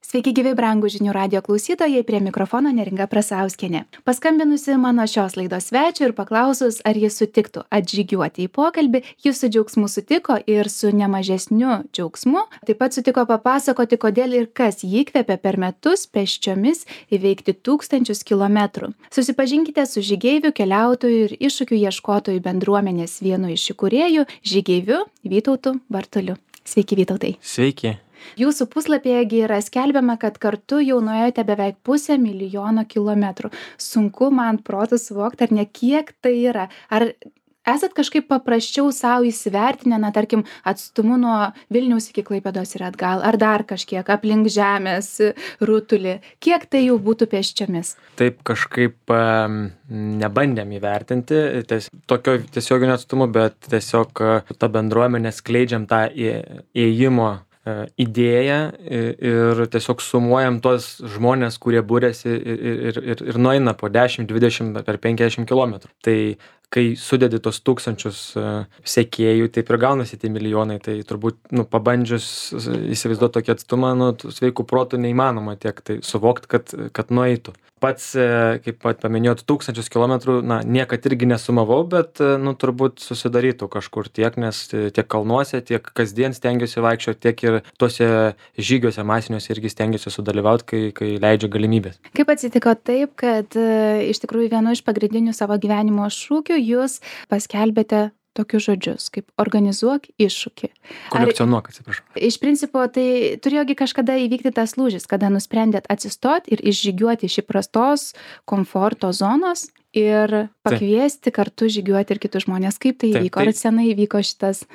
Sveiki gyvi brangūs žinių radijo klausytojai, prie mikrofono Neringa Prasauskienė. Paskambinusi mano šios laidos svečiui ir paklausus, ar jis sutiktų atžygiuoti į pokalbį, jis su džiaugsmu sutiko ir su nemažesniu džiaugsmu. Taip pat sutiko papasakoti, kodėl ir kas jį įkvėpė per metus pėsčiomis įveikti 1000 kilometrų. Susipažinkite su žygeiviu, keliautoju ir iššūkių ieškotojų bendruomenės vienu iš įkūrėjų, žygeiviu Vytautu Bartuliu. Sveiki, Vytautai. Sveiki. Jūsų puslapyje yra skelbiama, kad kartu jau nuėjote beveik 500 000 kilometrų. Sunku man protu suvokti, ar ne kiek tai yra. Ar esat kažkaip paprasčiau savo įsivertinę, tarkim, atstumu nuo Vilniaus iki Klaipėdos ir atgal, ar dar kažkiek aplink Žemės rutulį? Kiek tai jau būtų pėsčiomis? Taip kažkaip nebandėm įvertinti tokio tiesioginio atstumo, bet tiesiog tą bendruomenę skleidžiam tą ėjimo idėją ir tiesiog sumuojam tuos žmonės, kurie būrėsi ir nueina po 10, 20 per 50 kilometrų. Tai kai sudedi tos 1000 sekėjų, taip ir gaunasi tie milijonai, tai turbūt pabandžius įsivaizduoti tokį atstumą, sveikų protų neįmanoma tiek tai suvokti, kad nueitų. Pats, kaip paminėjot, 1000 kilometrų, niekad irgi nesumavau, bet turbūt susidarytų kažkur tiek, nes tiek kalnuose, tiek kasdien stengiuosi vaikščioti, tiek ir tuose žygiuose masiniuose irgi stengiuosi sudalyvauti, kai leidžia galimybės. Kaip atsitiko taip, kad iš tikrųjų vienu iš pagrindinių savo gyvenimo šūkių jūs paskelbėte tokius žodžius, kaip organizuok iššūkį. Kolekcionuok, atsiprašau. Iš principo, tai turėjogi kažkada įvykti tas lūžis, kada nusprendėt atsistoti ir išžygiuoti iš įprastos komforto zonos ir pakviesti kartu žygiuoti ir kitus žmonės. Kaip tai įvyko? Ar senai įvyko šitas?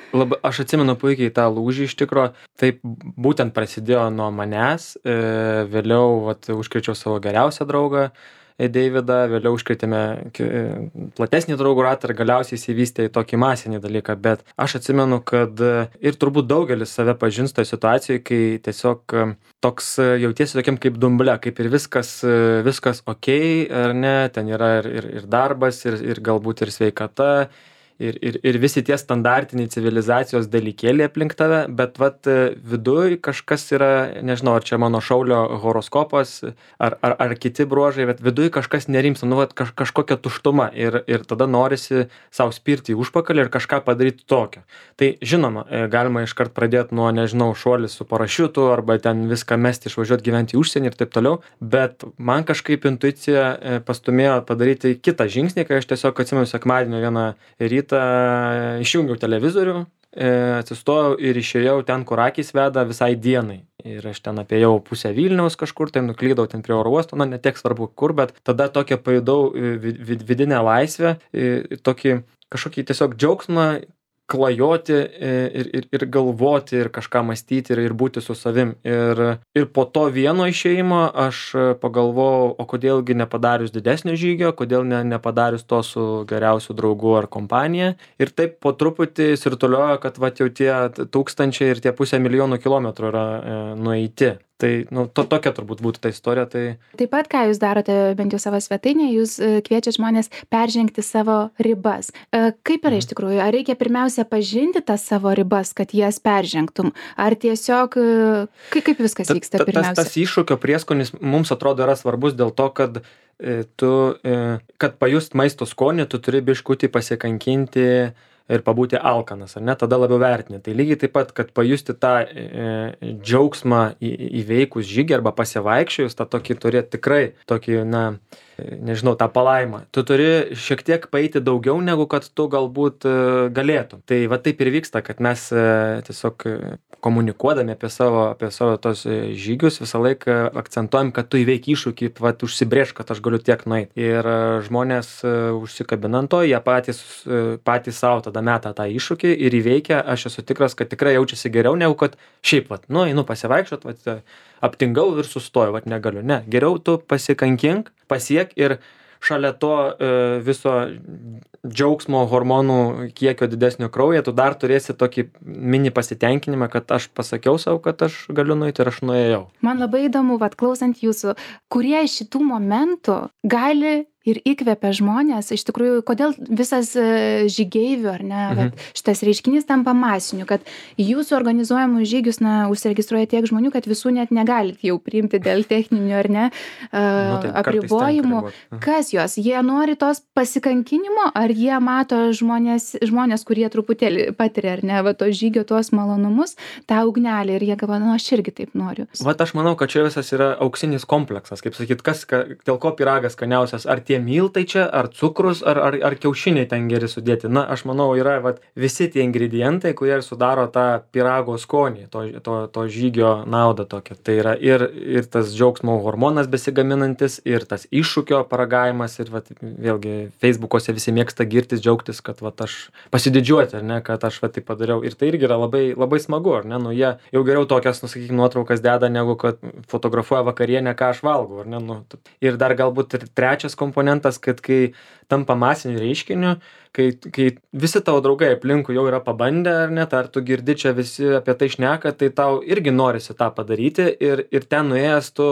Aš atsimenu puikiai tą lūžį iš tikro. Taip būtent prasidėjo nuo manęs. Vėliau užkrėčiau savo geriausią draugą Deividą, vėliau užkrėtėme platesnį draugų ratą ir galiausiai įsivystė į tokį masinį dalyką, bet aš atsimenu, kad ir turbūt daugelis save pažins toje situacijoje, kai tiesiog toks jautiesi tokiam kaip dumble, kaip ir viskas okei, ar ne, ten yra ir darbas, ir galbūt ir sveikata, ir visi tie standartiniai civilizacijos dalykėliai aplink tave, bet viduj kažkas yra, nežinau, ar čia mano šaulio horoskopas, ar kiti bruožai, bet viduj kažkas nerimsta, kažkokia tuštuma ir tada norisi savo spirti į užpakalį ir kažką padaryti tokio. Tai žinoma, galima iškart pradėti nuo, nežinau, šuolis su parašiutu arba ten viską mesti, išvažiuoti gyventi į užsienį ir taip toliau, bet man kažkaip intuicija pastumėjo padaryti kitą žingsnį, kai aš tiesiog atsimenu sekmadienio vieną rytą išjungiau televizorių, atsistojau ir išėjau ten, kur akys veda visai dienai. Ir aš ten apėjau pusę Vilniaus kažkur, tai nuklydau ten prie oro uosto, netiek svarbu kur, bet tada tokią pajudau vidinę laisvę, kažkokį tiesiog džiaugsmą klajoti ir galvoti ir kažką mąstyti ir būti su savim. Ir po to vieno išėjimo aš pagalvojau, o kodėlgi nepadarius didesnio žygio, kodėl nepadarius to su geriausiu draugu ar kompanija. Ir taip po truputį sirtuliojo, kad jau tie 1000 ir tie 500 000 kilometrų yra nueiti. Tai tokia turbūt būtų ta istorija. Taip pat, ką jūs darote, bent jau savo svetainėje, jūs kviečiate žmonės peržengti savo ribas. Kaip yra iš tikrųjų? Ar reikia pirmiausia pažinti tas savo ribas, kad jas peržengtum? Ar tiesiog, kaip viskas vyksta pirmiausia? Tas iššūkio prieskonis mums atrodo yra svarbus dėl to, kad kad pajust maisto skonį, tu turi biškutį pasikankinti ir pabūti alkanas, ar ne, tada labiau vertini. Tai lygiai taip pat, kad pajusti tą džiaugsmą įveikus žygį arba pasivaikščiojus, tą tokį turėti tikrai tokį, nežinau, tą palaimą. Tu turi šiek tiek paeiti daugiau, negu kad tu galbūt galėtum. Tai taip ir vyksta, kad mes tiesiog komunikuodami apie savo tos žygius visą laiką akcentuojam, kad tu įveiki iššūkį, užsibrėžk, kad aš galiu tiek nueiti. Ir žmonės užsikabinant to, jie patys savo tada meta tą iššūkį ir įveikia. Aš esu tikras, kad tikrai jaučiasi geriau, negu kad šiaip, einu pasivaikščiot, aptingau ir sustoju, negaliu. Ne, geriau tu pasikankink, pasiek ir šalia to viso džiaugsmo hormonų kiekio didesnio kraujyje, tu dar turėsi tokį mini pasitenkinimą, kad aš pasakiau savo, kad aš galiu nueiti ir aš nuėjau. Man labai įdomu, klausant jūsų, kurie iš šitų momentų gali ir įkvepia žmonės. Iš tikrųjų, kodėl visas žygeivių, ar ne, vat, šitas reiškinys tampa masiniu, kad jūsų organizuojamus žygius, užsiregistruoja tiek žmonių, kad visų net negalit jau priimti dėl techninių, ar ne, apribojimų. Kas jos? Jie nori tos pasikankinimo, ar jie mato žmonės, kurie truputėlį patiria, ar ne, va, to žygio, tuos malonumus, tą ugnelį, ir jie galvoja, aš irgi taip noriu. Vat aš manau, kad čia visas yra auksinis kompleksas, kaip sakyt, dėl ko pyragas skaniausias, ar tie miltai čia, ar cukrus, ar kiaušiniai ten geri sudėti. Na, aš manau, yra visi tie ingredientai, kurie sudaro tą pyrago skonį, to žygio naudą tokią. Tai yra ir tas džiaugsmo hormonas besigaminantis, ir tas iššūkio paragavimas, ir vėlgi Facebook'ose visi mėgsta girtis, džiaugtis, kad aš pasididžiuoti, ar ne, kad aš tai padariau. Ir tai irgi yra labai, labai smagu, ar ne, jie jau geriau tokias, sakykime, nuotraukas deda, negu kad fotografuoja vakarienę, ką aš valgau, ar ne. Ir dar galbūt ir trečias komponentas, kad kai tampa masiniu reiškiniu, kai visi tavo draugai aplinkui jau yra pabandę, ar net, ar tu girdi čia visi apie tai šneka, tai tau irgi norisi tą padaryti, ir ten nuėjęs tu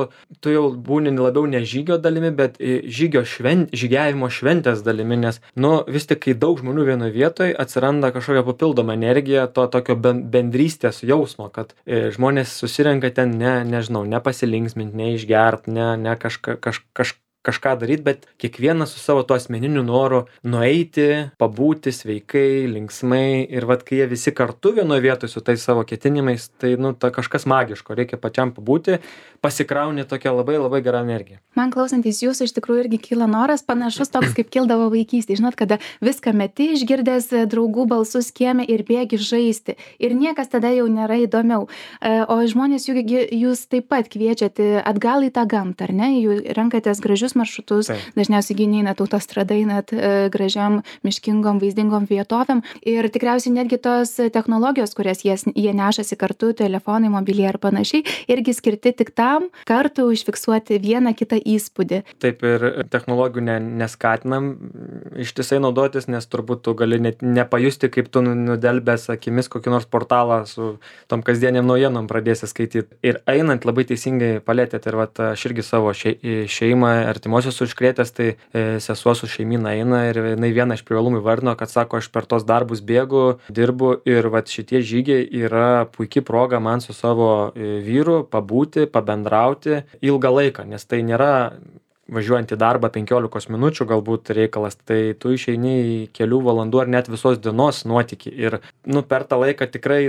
jau būni labiau ne žygio dalimi, bet žygiavimo šventės dalimi, nes, vis tik, kai daug žmonių vienoje vietoje, atsiranda kažkokia papildoma energija, to tokio bendrystės jausmo, kad žmonės susirenka ten ne pasilinksminti, ne išgert, ne kažką daryti, bet kiekvienas su savo to asmeniniu noru nueiti, pabūti sveikai, linksmai, ir kai jie visi kartu vienoje vietoje su tais savo ketinimais, tai kažkas magiško, reikia pačiam pabūti, pasikrauni tokią labai labai gerą energiją. Man klausantis jūsų iš tikrųjų irgi kyla noras panašus toks, kaip kildavo vaikystėje. Žinot, kada viską meti, išgirdęs draugų balsus kieme ir bėgi žaisti. Ir niekas tada jau nėra įdomiau. O žmonės jūs taip pat kviečiate atgal į tą gamtą, ar ne? Jūs renkatės gražius maršrutus, dažniausiai einat autostrada, einat gražiam, miškingom, vaizdingom vietovėm. Ir tikriausiai netgi tos technologijos, kurias jie nešasi kartu, telefonai, mobiliai ar panašiai, irgi skirti tik tam kartu užfiksuoti vieną kitą įspūdį. Taip, ir technologijų neskatinam ištisai naudotis, nes turbūt tu gali net nepajusti, kaip tu nudelbęs akimis kokį nors portalą su tom kasdieniam naujienom pradėsi skaityti. Ir einant labai teisingai palėtėt, ir aš irgi savo šeimą, artimuosius užkrėtęs, tai sesuo su šeimyna eina, ir jinai vieną iš privalumų įvardino, kad sako, aš per tos darbus bėgu, dirbu, ir šitie žygiai yra puikia proga man su savo vyru pabūti, pabendrauti ilgą laiką, nes tai nėra važiuojant į darbą 15 minučių galbūt reikalas, tai tu išeini į kelių valandų ar net visos dienos nuotykį, ir per tą laiką tikrai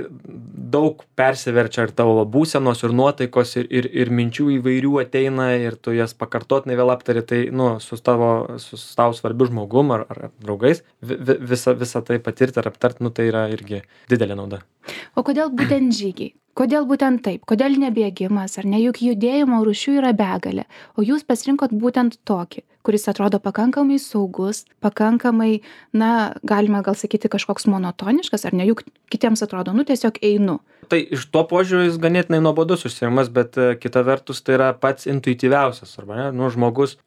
daug persiverčia ir tavo būsenos, ir nuotaikos, ir minčių įvairių ateina, ir tu jas pakartotinai vėl aptari, tai su tau svarbiu žmogum ar draugais visą tai patirti ar aptarti, tai yra irgi didelė nauda. O kodėl būtent žygiai? Kodėl būtent taip? Kodėl nebėgimas, ar ne? Juk judėjimo rūšių yra begalė, o jūs pasirinkot būtent tokį, kuris atrodo pakankamai saugus, pakankamai, galima gal sakyti, kažkoks monotoniškas, ar ne? Juk kitiems atrodo, tiesiog einu. Tai iš to požiūrio jis ganėtinai nuobodus užsiėmimas, bet kita vertus tai yra pats intuityviausias, arba ne? Žmogus,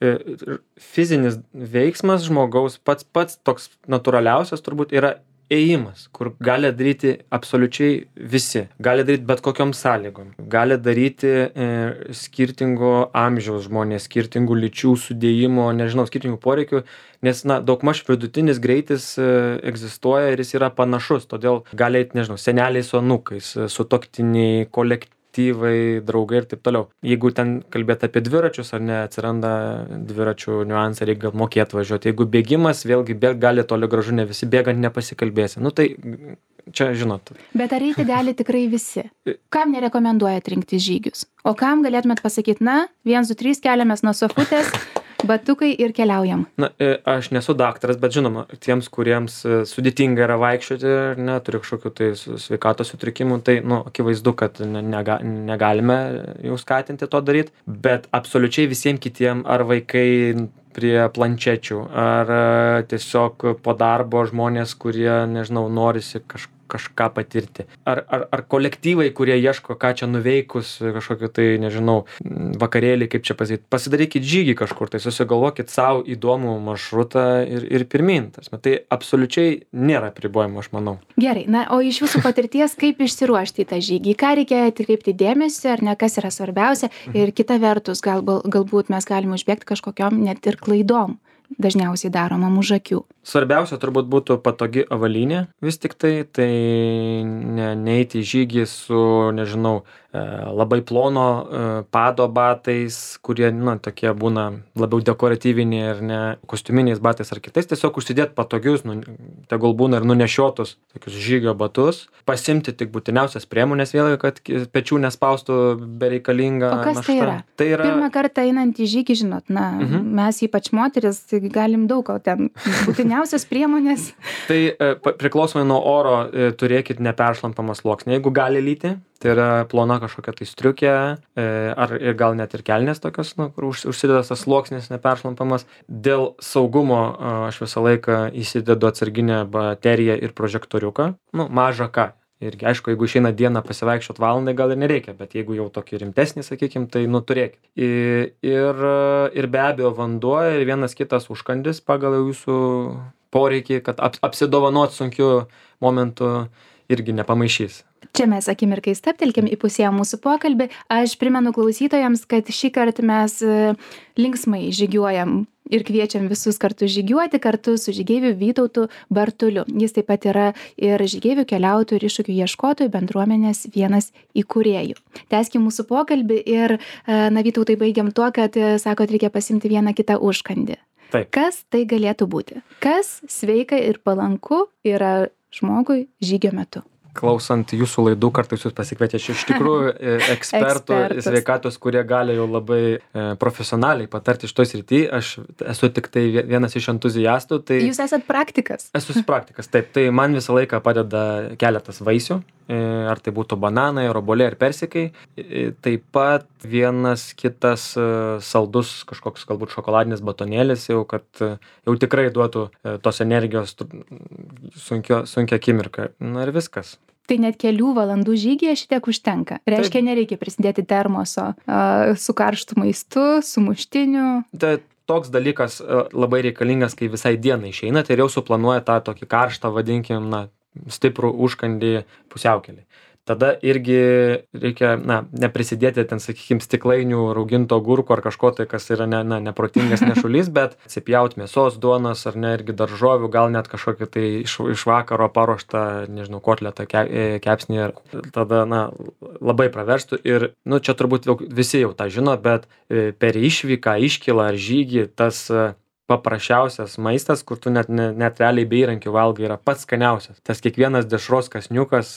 fizinis veiksmas žmogaus pats toks natūraliausias turbūt yra ėjimas, kur gali daryti absoliučiai visi, gali daryti bet kokiom sąlygom, gali daryti skirtingo amžiaus žmonės, skirtingų lyčių sudėjimo, skirtingų poreikių, nes daugmaž vidutinis greitis egzistuoja ir jis yra panašus, todėl gali eiti, seneliai su anūkais, sutuoktiniai, kolektyvai, draugai ir taip toliau. Jeigu ten kalbėti apie dviračius, ar ne, atsiranda dviračių niuansai, reikia mokėti važiuoti. Jeigu bėgimas, vėlgi gali toli gražu, ne visi bėgant nepasikalbėsi. Tai čia žinot. Bet ar eiti gali tikrai visi? Kam nerekomenduojat rinkti žygius? O kam galėtumėt pasakyti, 1, 2, 3, keliamės nuo sofutės, batukai ir keliaujam? Aš nesu daktaras, bet žinoma, tiems, kuriems sudėtinga yra vaikščioti, turi kažkokių tai sveikatos sutrikimų, tai akivaizdu, kad negalime jau skatinti to daryti, bet absoliučiai visiems kitiems, ar vaikai prie planšečių, ar tiesiog po darbo žmonės, kurie, norisi kažką patirti. Ar kolektyvai, kurie ieško, ką čia nuveikus, kažkokio tai, vakarėlį, kaip čia pasakyti. Pasidarykit žygį kažkur, tai susigalvokit savo įdomų maršrutą ir pirmyn. Tai absoliučiai nėra apribojimo, aš manau. Gerai, o iš jūsų patirties, kaip išsiruošti į tą žygį? Ką reikia atkreipti dėmesį, ar ne, kas yra svarbiausia? Ir kita vertus, galbūt mes galime užbėgti kažkokiom net ir klaidom. dažniausiai daroma už akių? Svarbiausia turbūt būtų patogi avalynė, vis tik tai neiti į žygį su, nežinau, labai plono pado batais, kurie, tokie būna labiau dekoratyviniai ir ne kostiuminiais batais ar kitais, tiesiog užsidėti patogius, tegul būna ir nunešiotus tokius žygio batus, pasimti tik būtiniausias priemonės vėlgi, kad pečių nespaustų bereikalinga našta. O kas tai yra? Tai yra... Pirmą kartą einant į žygį, žinot, mes ypač moteris galim daug ko ten būtiniausias priemonės. Tai priklausomai nuo oro turėkit neperšlampamą sluoksnį, jeigu gali lyti. Tai yra plona kažkokia tai striukė, ar ir gal net ir kelnės tokios, kur užsidedas tas sluoksnis neperšlampamas. Dėl saugumo aš visą laiką įsidedu atsarginę bateriją ir prožektoriuką, mažą ką. Irgi, aišku, jeigu išeina dieną pasivaikščiot valandai, gal ir nereikia, bet jeigu jau tokį rimtesnį, sakykim, tai turėkit. Ir be abejo vanduo ir vienas kitas užkandis pagal jūsų poreikį, kad apsidovanot sunkiu momentu irgi nepamaišys. Čia mes akimirkai stabtelkim, įpusėjom mūsų pokalbį. Aš primenu klausytojams, kad šį kartą mes linksmai žygiuojam ir kviečiam visus kartu žygiuoti kartu su žygeiviu Vytautu Bartuliu. Jis taip pat yra ir žygeivių keliautojų ir iššūkių ieškotojų bendruomenės vienas įkūrėjų. Tęskim mūsų pokalbį ir, Vytautai, baigiam tuo, kad, sakot, reikia pasimti vieną kitą užkandį. Taip. Kas tai galėtų būti? Kas sveika ir palanku yra žmogui žygio metu? Klausant jūsų laidų, kartais jūs pasikvietė iš tikrųjų ekspertų sveikatos, kurie gali jau labai profesionaliai patarti šitoj srity. Aš esu tik tai vienas iš entuziastų. Tai jūs esat praktikas? Esu praktikas, taip. Tai man visą laiką padeda keletas vaisių, ar tai būtų bananai, obuoliai ar persikai. Taip pat vienas kitas saldus kažkoks galbūt šokoladinis batonėlis, kad jau tikrai duotų tos energijos sunkia akimirka. Ir viskas. Tai net kelių valandų žygyje šitiek užtenka. Reiškia, nereikia prisidėti termoso su karštu maistu, su muštiniu. Tai toks dalykas labai reikalingas, kai visai dienai išeina, tai jau suplanuoja tą tokį karštą, vadinkim, stiprų užkandį pusiaukelį. Tada irgi reikia, neprisidėti ten, sakykim, stiklainių rauginto agurko ar kažko tai, kas yra neprotingas nešulys, bet atsipjaut mėsos, duonos ar ne, irgi daržovių, gal net kažkokį tai iš vakaro paruoštą, nežinau, kotletą, kepsnį ir tada, labai praverstų. Ir, čia turbūt visi jau tą žino, bet per išvyką, iškylą ar žygį tas paprasčiausias maistas, kur tu net realiai be įrankių valgai, yra pats skaniausias. Tas kiekvienas dešros kąsniukas,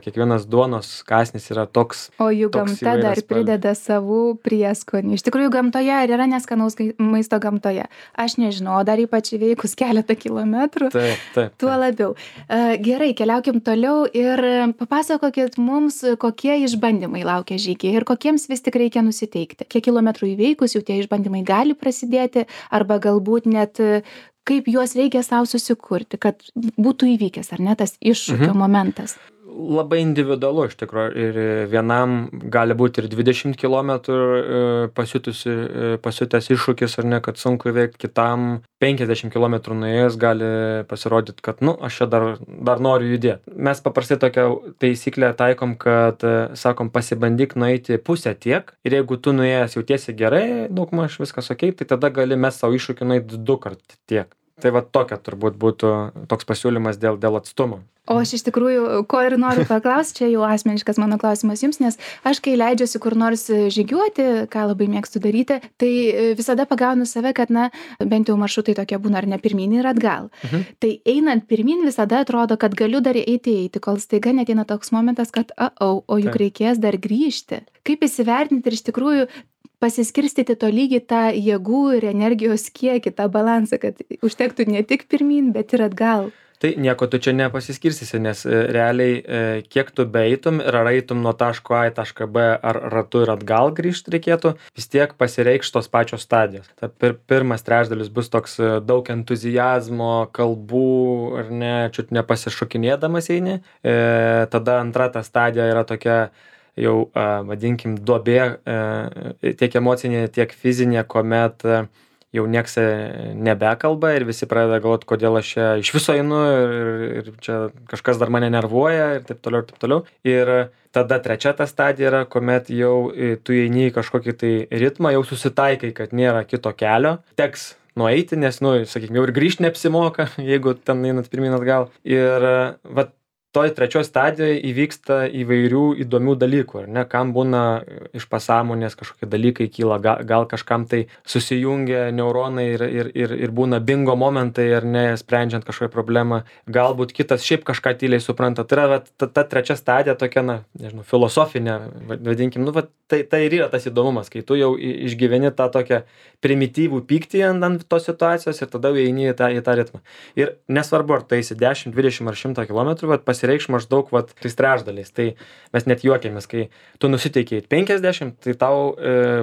kiekvienas duonos kąsnis yra toks. O jų gamta dar prideda savų prieskonių. Iš tikrųjų, gamtoje ar yra neskanaus maisto gamtoje? Aš nežinau, o dar ypač įveikus keletą kilometrų. Taip. Tuo labiau. Gerai, keliaukim toliau ir papasakokit mums, kokie išbandymai laukia žygiai ir kokiems vis tik reikia nusiteikti. Kiek kilometrų įveikus jau tie išbandymai gali prasidėti, arba galbūt net kaip juos reikia savo susikurti, kad būtų įvykęs, ar ne, tas iššūkio momentas. Labai individualu iš tikrųjų ir vienam gali būti ir 20 km pasiutęs iššūkis, ar ne, kad sunku įveikti, kitam 50 km nuėjęs gali pasirodyti, kad aš čia dar noriu judėti. Mes paprastai tokią taisyklę taikom, kad sakom, pasibandyk nueiti pusę tiek ir jeigu tu nuėjęs jautiesi gerai, daugmaž viskas okei, tai tada gali mes savo iššūkį nueiti 2 kart tiek. Tai tokia turbūt būtų toks pasiūlymas dėl atstumo. O aš iš tikrųjų, ko ir noriu paklausti, čia jau asmeniškas mano klausimas jums, nes aš kai leidžiuosi kur nors žygiuoti, ką labai mėgstu daryti, tai visada pagaunu save, kad, bent jau maršrutai tokie būna ar ne pirmyn ir atgal. Tai einant pirmyn visada atrodo, kad galiu dar eiti, kol staiga neateina toks momentas, kad o juk reikės dar grįžti. Kaip įsivertinti ir iš tikrųjų pasiskirstyti tolygiai tą jėgų ir energijos kiekį, tą balansą, kad užtektų ne tik pirmyn, bet ir atgal. Tai nieko tu čia nepasiskirstysi, nes realiai kiek tu beeitum ir ar eitum nuo taško A į tašką B ar ratu ir atgal grįžti reikėtų, vis tiek pasireikš tos pačios stadijos. Ta pirmas trečdalis bus toks daug entuzijazmo, kalbų, ar ne, čiut nepasišokinėdamas eini. Tada antra ta stadija yra tokia jau, vadinkim, duobė, tiek emocinė, tiek fizinė, kuomet jau nieks nebekalba ir visi pradeda galvoti, kodėl aš čia iš viso einu ir čia kažkas dar mane nervuoja ir taip toliau ir taip toliau. Ir tada trečia ta stadija yra, kuomet jau tu eini į kažkokį tai ritmą, jau susitaikai, kad nėra kito kelio, teks nueiti, nes, nu, sakykime, jau ir grįžti neapsimoka, jeigu ten einat pirmyn atgal. Ir vat toj trečioj stadijoj įvyksta įvairių įdomių dalykų, ar ne, kam būna iš pasąmonės kažkokie dalykai kyla, gal kažkam tai susijungia neuronai ir būna bingo momentai, ar ne, sprendžiant kažkokią problemą, galbūt kitas šiaip kažką tyliai supranta. Tai yra ta trečia stadija tokia, na, nežinau, filosofinė, vadinkim, nu, tai ir yra tas įdomumas, kai tu jau išgyveni tą tokią primityvų pyktį ant tos situacijos ir tada jau eini į tą ritmą. Ir nesvarbu, ar tu eisi 10, 20 ar 100 kilometrų, pasireikš maždaug tais trečdaliais. Tai mes net juokėmės, kai tu nusiteikiai 50, tai tau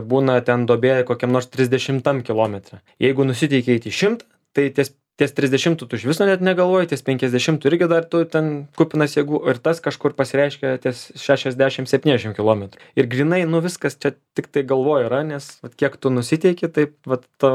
būna ten duobė kokiam nors 30 kilometrą. Jeigu nusiteikiai 100, tai ties 30 tu iš viso net negalvoji, ties 50 irgi dar tu ten kupinas jėgų ir tas kažkur pasireiškia ties 60-70 kilometrų. Ir grinai, nu viskas čia tik tai galvoji yra, nes kiek tu nusiteiki, taip tu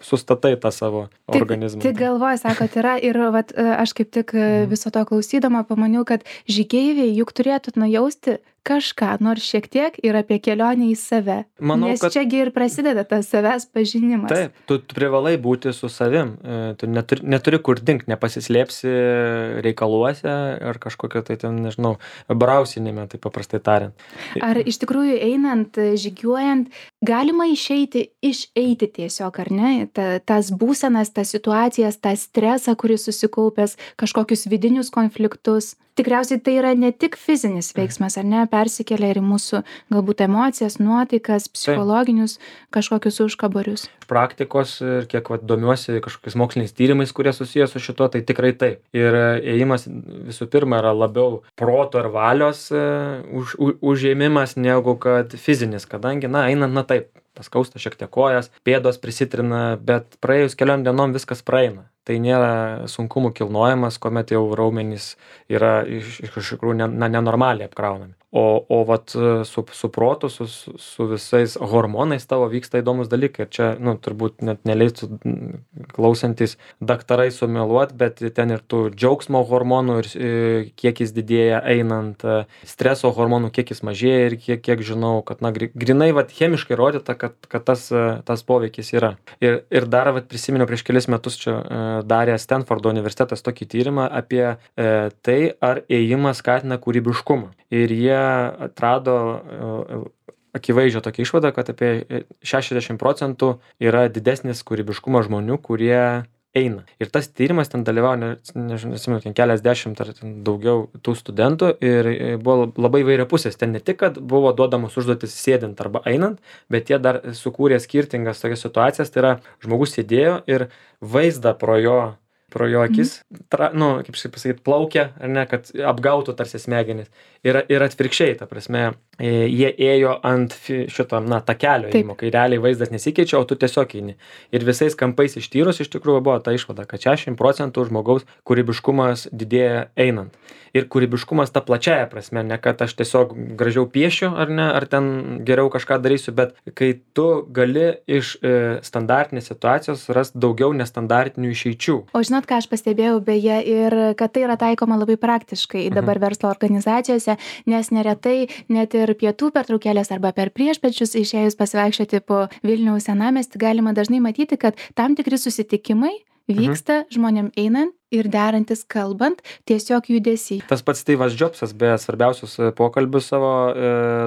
sustatai tą savo organizmą. Tik galvoji, sakot, yra ir aš kaip tik viso to klausydama pamaniau, kad žygeiviai juk turėtų nujausti kažką, nors šiek tiek ir apie kelionę į save. Manau, nes čiagi ir prasideda tas savęs pažinimas. Taip, tu privalai būti su savim. Tu neturi kur dingt, nepasislėpsi reikaluose ar kažkokio tai ten, nežinau, brausinime, tai paprastai tariant. Ar iš tikrųjų einant, žygiuojant, galima išeiti tiesiog, ar ne? Tas būsenas, tas situacijas, tą stresą, kuris susikaupęs, kažkokius vidinius konfliktus. Tikriausiai tai yra ne tik fizinis veiksmas, ar ne, persikelia ir į mūsų galbūt emocijas, nuotaikas, psichologinius kažkokius užkabarius. Praktikos ir kiek domiuosi kažkokiais moksliniais tyrimais, kurie susijęs su šituo, tai tikrai taip. Ir ėjimas visų pirma yra labiau proto ir valios užėmimas negu kad fizinis, kadangi, einant, taip, paskausta šiek tiek kojas, pėdos prisitrina, bet praėjus keliom dienom viskas praeina. Tai nėra sunkumų kilnojimas, kuomet jau raumenys yra iš tikrųjų nenormaliai apkraunami. O vat su protu, su visais hormonais tavo vyksta įdomus dalykai. Ir čia, turbūt net neleistų klausantis daktarai sumeluot, bet ten ir tų džiaugsmo hormonų ir kiekis didėja einant, streso hormonų kiekis mažėja ir kiek žinau, kad grinai chemiškai rodyta, kad tas poveikis yra. Ir dar prisiminiau prieš kelis metus čia darė Stanfordo universitetas tokį tyrimą apie tai, ar ėjimas skatina kūrybiškumą. Ir jie atrado akivaizdžią tokią išvadą, kad apie 60% yra didesnis kūrybiškumas žmonių, kurie eina. Ir tas tyrimas ten dalyvavo, nežinau, keliasdešimt ar daugiau tų studentų ir buvo labai įvairiapusės. Ten ne tik, kad buvo duodamos užduotis sėdint arba einant, bet jie dar sukūrė skirtingas tokias situacijas. Tai yra, žmogus sėdėjo ir vaizdą pro jo akis, kaip pasakyti, plaukia, ar ne, kad apgautų tarsi smegenis. Ir atvirkščiai, ta prasme, jie ėjo ant šito, takelio ėjimo, kai realiai vaizdas nesikeičia, o tu tiesiog eini. Ir visais kampais ištyrus, iš tikrųjų buvo ta išvada, kad 60% žmogaus kūrybiškumas didėja einant. Ir kūrybiškumas ta plačiaja prasme, ne kad aš tiesiog gražiau piešiu, ar ne, ar ten geriau kažką darysiu, bet kai tu gali iš standartinės situacijos rasti daugiau nestandartinių išeičių. O žinot, ką aš pastebėjau beje, ir kad tai yra taikoma labai praktiškai dabar verslo organizacijose, nes neretai net ir pietų pertraukėlės arba per priešpiečius išėjus pasivaikščioti po Vilniaus senamiestį galima dažnai matyti, kad tam tikri susitikimai vyksta žmonėm einant ir derantis kalbant, tiesiog judesy. Tas pats Steve'as Jobsas, beje, svarbiausius pokalbius savo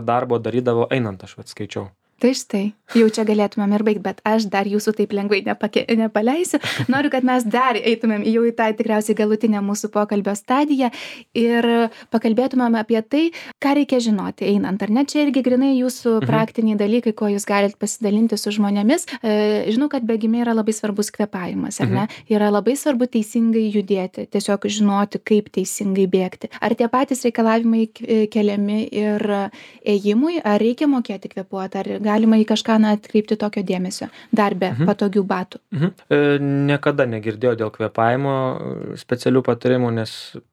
darbo darydavo einant, aš skaičiau. Tai štai, jau čia galėtumėm ir baigti, bet aš dar jūsų taip lengvai nepaleisiu. Noriu, kad mes dar eitumėm jau į tą tikriausiai galutinę mūsų pokalbio stadiją ir pakalbėtumėm apie tai, ką reikia žinoti einant. Ar ne, čia irgi grinai jūsų praktiniai dalykai, ko jūs galite pasidalinti su žmonėmis. Žinau, kad bėgime yra labai svarbus kvėpavimas, ar ne? Yra labai svarbu teisingai judėti, tiesiog žinoti, kaip teisingai bėgti. Ar tie patys reikalavimai keliami ir ėjimui, ar reikia mokėti kvėpuoti, ar galima į kažką atkreipti tokio dėmesio, dar be patogių batų? Niekada negirdėjau dėl kvėpavimo specialių patarimų, nes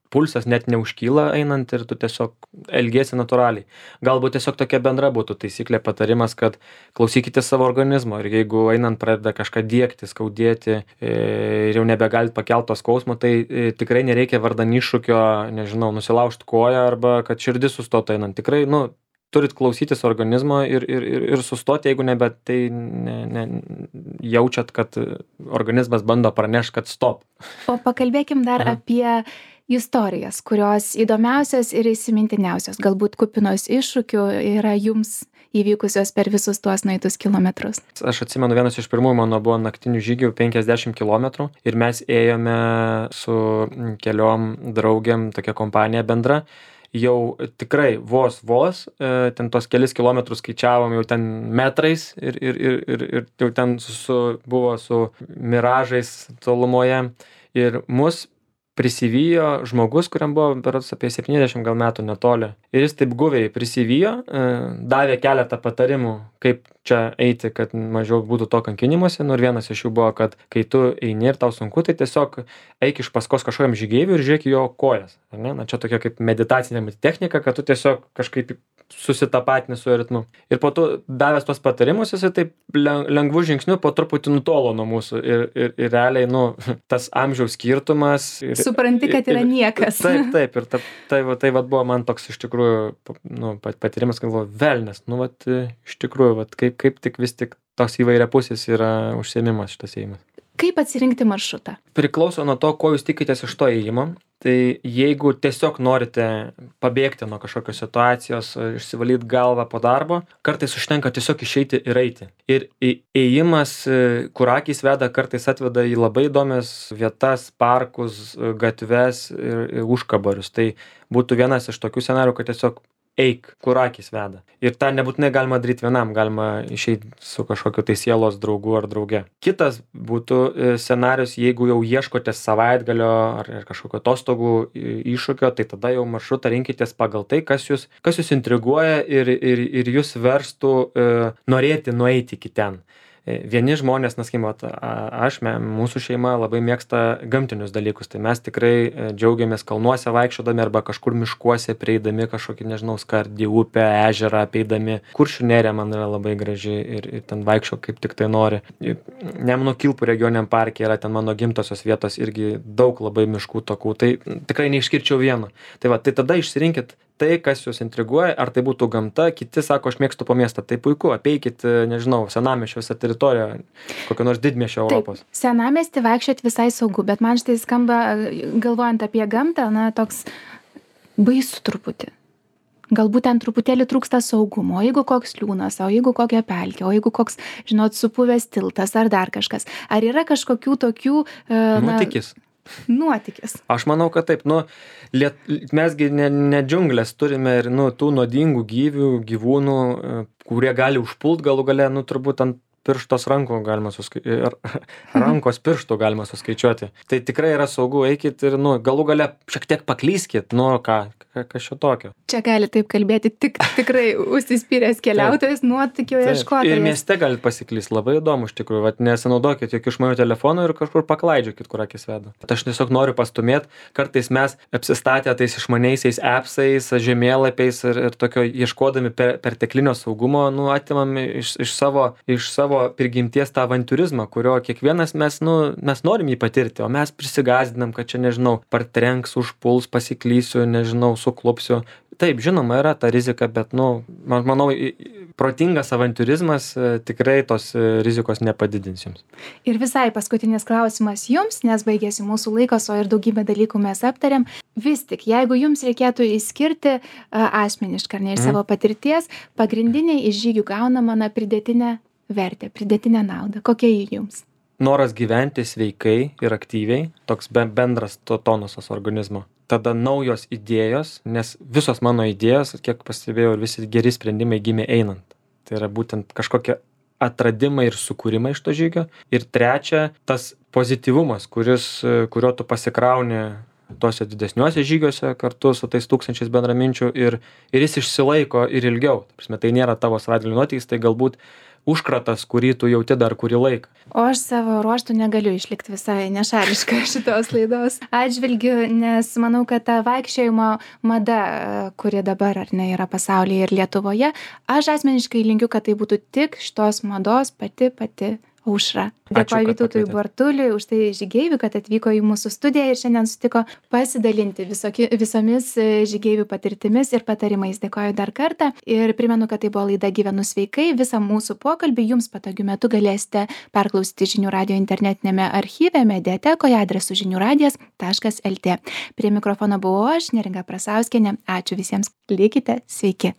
pulsas net neužkyla einant ir tu tiesiog elgiesi natūraliai. Galbūt tiesiog tokia bendra būtų taisyklė, patarimas, kad klausykite savo organizmo ir jeigu einant pradeda kažką diegti, skaudėti ir jau nebegalit pakelti to skausmo, tai tikrai nereikia vardan iššūkio, nežinau, nusilaužti koją arba kad širdis sustotų einant. Tikrai, turit klausytis organizmo ir sustoti, jeigu jaučiat, kad organizmas bando pranešti, kad stop. O pakalbėkim dar apie istorijas, kurios įdomiausios ir įsimintiniausios, galbūt kupinos iššūkių yra jums įvykusios per visus tuos nueitus kilometrus. Aš atsimenu, vienas iš pirmųjų mano buvo naktinių žygių 50 km ir mes ėjome su keliom draugėm, tokia kompanija bendra. Jau tikrai vos, ten tos kelis kilometrus skaičiavom jau ten metrais ir jau ten buvo su miražais tolumoje ir mus prisivijo žmogus, kuriam buvo berods apie 70 gal metų netoli. Ir jis taip guviai prisivijo, davė keletą patarimų, kaip čia eiti, kad mažiau būtų to kankinimuose. Ir vienas iš jų buvo, kad kai tu eini ir tau sunku, tai tiesiog eik iš paskos kažkokiam žygeiviui ir žiūrėk jo kojas. Ar ne? Na, čia tokia kaip meditacinė technika, kad tu tiesiog kažkaip susitapatini su ritmu. Ir po to davęs tos patarimus, jisai taip lengvų žingsnių po truputį nutolo nuo mūsų. Ir realiai, tas amžiaus skirtumas. Supranti, kad yra niekas. Taip. Ir tai buvo man toks iš tikrųjų patyrimas, galvoju, velnias. Iš tikrųjų, kaip tik vis tik tos įvairiapusis yra užsiėmimas šitas ėjimas. Kaip atsirinkti maršrutą? Priklauso nuo to, ko jūs tikitės iš to ėjimo. Tai jeigu tiesiog norite pabėgti nuo kažkokios situacijos, išsivalyti galvą po darbo, kartais užtenka tiesiog išeiti ir eiti. Ir ėjimas, kur akys veda, kartais atveda į labai įdomias vietas, parkus, gatves ir užkabarius. Tai būtų vienas iš tokių scenarių, kad tiesiog eik, kur akys veda. Ir tą nebūtinai galima daryti vienam, galima išeiti su kažkokiu tai sielos draugu ar drauge. Kitas būtų scenarius, jeigu jau ieškote savaitgalio ar kažkokio atostogų iššūkio, tai tada jau maršrutą rinkitės pagal tai, kas jūs intriguoja ir jūs verstų norėti nueiti iki ten. Vieni žmonės, mūsų šeima labai mėgsta gamtinius dalykus, tai mes tikrai džiaugiamės kalnuose vaikščiodami arba kažkur miškuose prieidami kažkokį, skardį, upę, ežerą apeidami. Kuršių nerija man yra labai graži ir ten vaikščio kaip tik tai nori. Nemuno Kilpų regioniniam parke yra ten mano gimtosios vietos irgi daug labai miškų takų, tai tikrai neišskirčiau vieno. Tai tada išsirinkit tai, kas jūs intriguoja, ar tai būtų gamta, kiti sako, aš mėgstu po miestą, tai puiku, apeikit, senamiesčio visą teritoriją, kokio nors didmiesčio Europos. Taip, senamiestį vaikščiot visai saugu, bet man štai skamba, galvojant apie gamtą, toks baisu truputį. Galbūt ten truputėlį trūksta saugumo, o jeigu koks liūnas, o jeigu kokia pelkė, o jeigu koks, supuvęs tiltas ar dar kažkas. Ar yra kažkokių tokių... Nuotykis. Aš manau, kad taip. Mesgi ne džiunglės turime ir tų nuodingų gyvūnų, kurie gali užpult galų gale, turbūt ant pirštos rankos pirštų galima suskaičiuoti. Tai tikrai yra saugu, eikit ir galų gale šiek tiek paklyskit, kas šio tokio. Čia gali taip kalbėti tikrai užsispyręs keliautojas, nuotykio ieškotojas. Ir mieste galit pasiklysti, labai įdomu iš tikrųjų, nesinaudokit jokių išmanių telefonų ir kažkur paklaidžiokit, kur akis veda. Aš tiesiog noriu pastumėti, kartais mes apsistatę tais išmaniaisiais appsais, žemėlapiais ir tokio ieškodami perteklinio saugumo, atimam iš savo prigimties tą avantiūrizmą, kurio kiekvienas mes norim jį patirti, o mes prisigazdinam, kad čia, partrenks, užpuls, pasiklysiu, suklupsiu. Taip, žinoma, yra ta rizika, bet, manau, protingas avantiūrizmas tikrai tos rizikos nepadidins jums. Ir visai paskutinis klausimas jums, nes baigėsi mūsų laikas, o ir daugybę dalykų mes aptarėm. Vis tik, jeigu jums reikėtų išskirti asmeniškai, ar ne iš savo patirties, pagrindiniai iš žygių gaunama pridėtinę vertę, pridėtinę naudą. Kokia ji jums? Noras gyventi sveikai ir aktyviai, toks bendras tonusas organizmo. Tada naujos idėjos, nes visos mano idėjos, kiek pastebėjau, ir visi geri sprendimai gimė einant. Tai yra būtent kažkokie atradimai ir sukūrimai iš to žygio. Ir trečia, tas pozityvumas, kurio tu pasikrauni tuose didesniuose žygiuose kartu su tais 1000 bendraminčių ir jis išsilaiko ir ilgiau. Tai nėra tavo savaitgalio nuotykis, tai galbūt užkratas, kurį tu jauti dar kurį laiką. O aš savo ruožtų negaliu išlikti visai nešališka šitos laidos atžvilgiu, nes manau, kad ta vaikščiojimo mada, kuri dabar yra pasaulyje ir Lietuvoje, aš asmeniškai linkiu, kad tai būtų tik šitos mados pati Aušra. Ačiū, Dėkoju kad Vytautui pakvietėt. Bartuliui už tai žygeiviui, kad atvyko į mūsų studiją ir šiandien sutiko pasidalinti visomis žygeivių patirtimis ir patarimais. Dėkoju dar kartą ir primenu, kad tai buvo laida Gyvenu sveikai. Visą mūsų pokalbį jums patogiu metu galėsite perklausyti Žinių radijo internetinėme archyve, mediatekoje adresu žiniųradijas.lt. Prie mikrofono buvau aš, Neringa Prasauskienė. Ačiū visiems. Likite sveiki.